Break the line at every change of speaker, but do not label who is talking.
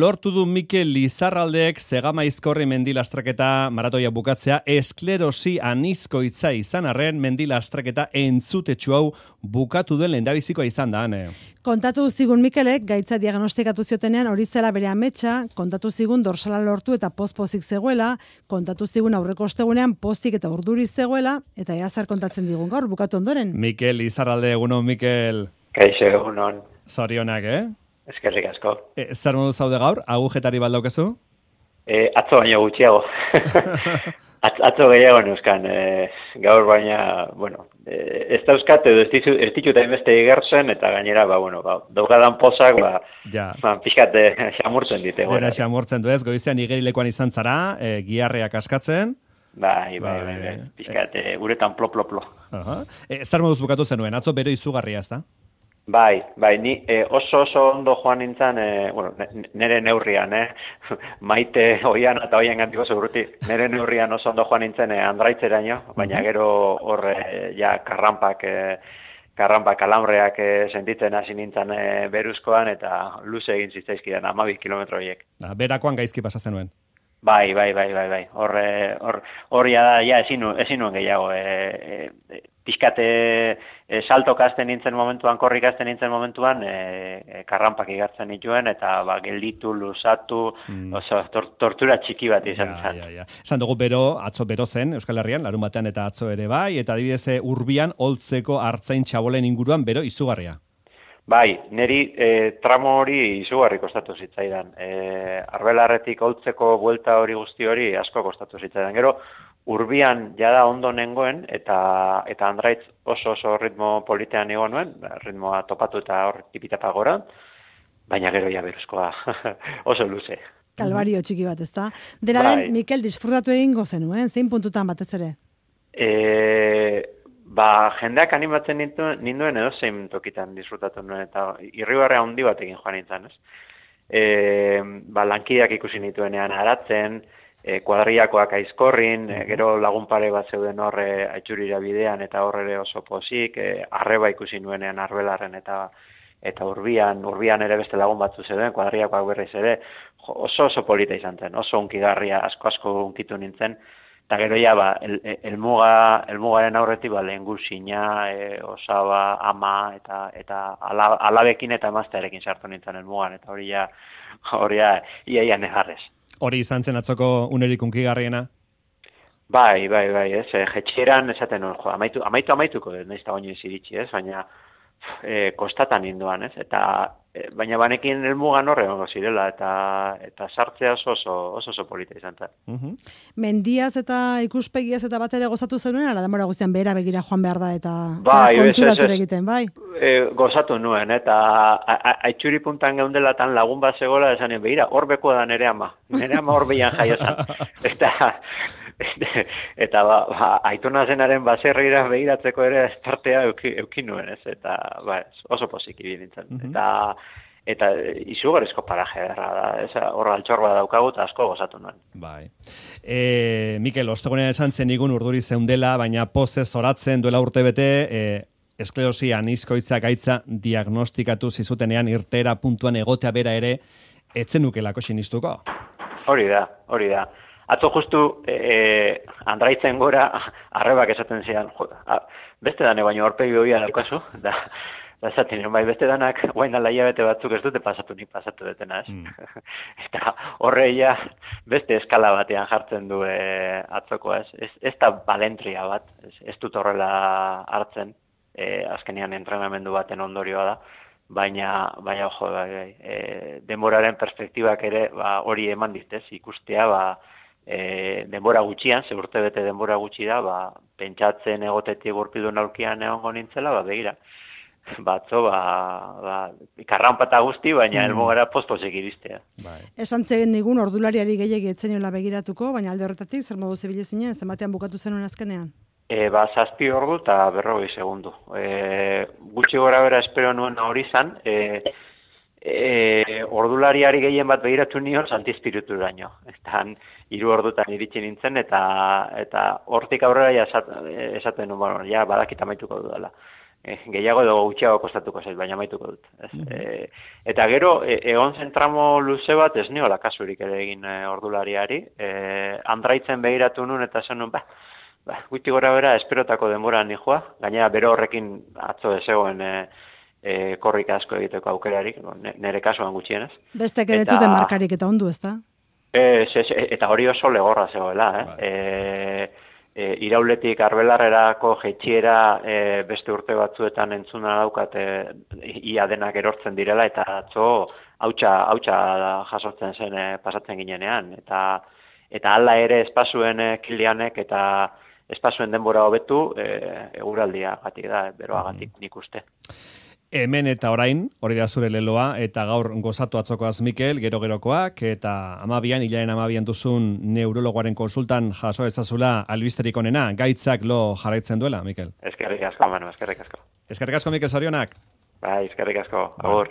Lortu du Mikel Lizarraldeek Zegamaizkorri mendilastraketa maratoia bukatzea esklerosi anizkoitza izan arren mendilastraketa entzutetsu hau bukatu duen lehendabizikoa izan da, Ane.
Kontatu zigun Mikelek gaitza diagnostikatu ziotenean hori zela bere ametsa, kontatu zigun dorsala lortu eta pozik zegoela, kontatu zigun aurreko ostegunean pozik eta urduri zegoela, eta ea zer kontatzen digun gaur bukatu ondoren.
Mikel Lizarralde, egunon, Mikel.
Kaixo, egunon.
Zorionak,
Eskerrik asko.
Zer modu zaude gaur? Agujetari baldaukezu?
Atzo baino gutxiago. Atzo gehiago neuzkan. Gaur baina, bueno, ez dauzkat edo ez ditut hainbeste igertzen, eta gainera, daukadan pozak, pixkat xamurtzen dite.
Dena xamurtzen du ez, goizean igerilekoan izan zara, giharreak askatzen.
Bai, pixkat, uretan plo.
Zer moduz bukatu zenuen, atzo bero izugarria ez da?
Bai, ni oso ondo joan nintzen, nire neurrian, maite oian eta oian gantiko seguruti, nire neurrian oso ondo joan nintzen Andraitzeraino, baina gero hor ja karranpak alambreak sentitzen hasi nintzen beruzkoan eta luze egin zitzaizkidan 12 kilometro horiek.
Berakoan gaizki pasa zenuen?
Bai. Hor ja ezin nuen gehiago. Pixkate saltok hasten nintzen momentuan, korrik hasten nintzen momentuan, karranpak igartzen nituen, eta gelditu, luzatu, oso tortura txiki bat izan zen.
Esan dugu atzo bero zen, Euskal Herrian, larun batean eta atzo ere bai, eta adibidez Urbian, Oltzeko Artzain Txabolen inguruan bero izugarria.
Bai, niri tramo hori izugarri kostatu zitzaidan. Arbelarretik Oltzeko buelta hori guzti hori asko kostatu zitzaidan. Gero, Urbian jada ondo nengoen, eta Andraitz oso ritmo politean egon nuen, ritmoa topatu eta hor tipitapa gora, baina gero ja beruzkoa oso luze.
Kalbario txiki bat, ezta? Dena den, Mikel, disfrutatu egingo zenuen, zein puntutan batez ere?
Jendeak animatzen ninduen edo zein tokitan disfrutatu nuen, eta irribarrea handi batekin joan nintzen, ez? Lankideak ikusi nituenean aratzen, kuadriakoak aizkorrin, gero lagun pare bat zeuden horre Aitxurira bidean eta horre oso pozik, arreba ikusi nuenean Arbelarren eta Urbian ere beste lagun batzu zeuden, kuadriakoak berriz ere, oso polita izan zen, oso unkigarria, asko unkitu nintzen, eta gero ja, elmugaren aurretik, lehengusina, osaba, ama, eta alabekin eta emaztearekin sartu nintzen elmugan, eta hori ia negarrez.
Hori izan zen atzoko unerik unkigarriena?
Bai, ez. Jetxeran esaten nuen, amaituko, nahiz eta baino iziritsi, ez, baina kostatan ninduan, ez, baina banekin elmugan horre zirela, eta sartzea oso polita izan zen.
Mendiaz eta ikuspegiaz eta bat ere gozatu zenuen, ala denbora guztian behera begira joan behar da, eta konturatu ere egiten, bai?
Gozatu nuen, eta Aitxuri puntan geundela tan lagun bat zegoela, esanen behira, hor beko da nere ama hor behian jaio zan. Eta aitona zenaren baserrira behiratzeko ere partea eukin nuen, ez, eta oso pozik ibili nintzen. Eta izugarrizko paraje da, ez, hor altxor bat daukagu eta asko gozatu nuen.
Bai. Mikel, ostegunean esan zen igun urduri zeundela, baina pozez zoratzen duela urtebete, esklerosi anizkoitza gaitza diagnostikatu zizutenean irteera puntuan egotea bera ere, etzen nukelako sinistuko? Hori
da. Atzo justu Andraitzen gora arrebak esaten zidan, beste dane baino aurpegi hobia daukazu, da esaten bai beste danak guain dala hilabete batzuk ez dute pasatu detena, ez? Eta horreia beste eskala batean jartzen du atzokoa, ez da balentria bat, ez dut horrela hartzen, azkenean entrenamendu baten ondorioa da, baina denboraren perspektibak ere hori eman ditez, ikustea, denbora gutxian, ze urtebete denbora gutxi da, pentsatzen egotetik gurpildun aurkian egongo nintzela, begira. Batzo, karranpata guzti, baina elmugara pospozik iristea.
Esan zen nigun ordulariari gehiagi etzeniola begiratuko, baina alde horretatik, zer modu zibile zinen, zenbatean bukatu zenuen azkenean?
7 ordu eta 40 segundu. Gutxi gora bera espero nuen hori zan, ordulariari gehien bat begiratu nion Santizpirituraino. Eta 3 ordutan iritsi nintzen, eta hortik aurrera esaten nuen, badakit amaituko dudala. gehiago edo gutxiago kostatuko zait, baina amaituko dut. Ez? Eta gero, egon zen tramo luze bat, ez niola kasurik ere egin ordulariari, andraitzen behiratu nun, eta zen nun, guti gora bera, esperotako denbora nijoa, gainera bero horrekin atzo ezegoen korrika asko egiteko aukerarik, nire kasuan gutxienez.
Bestek ere zuten markarik eta ondu, ezta?
Eta hori oso legorra zegoela, irauletik arbelarrerako jeitxiera beste urte batzuetan entzuna daukat ia denak erortzen direla, eta atzo hautsa jasotzen zen pasatzen ginenean, eta hala ere espazuen kilianek eta espazuen denbora hobetu eguraldia gatik da, beroagatik nik uste.
Hemen eta orain, hori da zure leloa, eta gaur gozatu atzokoaz Mikel, gero-gerokoak, eta hilaren 12 duzun neurologoaren konsultan jaso ezazula albisterik onena, gaitzak lo jarraitzen duela, Mikel.
Eskerrik asko, Manu, eskerrik asko.
Eskerrik asko, Mikel, zorionak.
Bai, eskerrik asko, agur.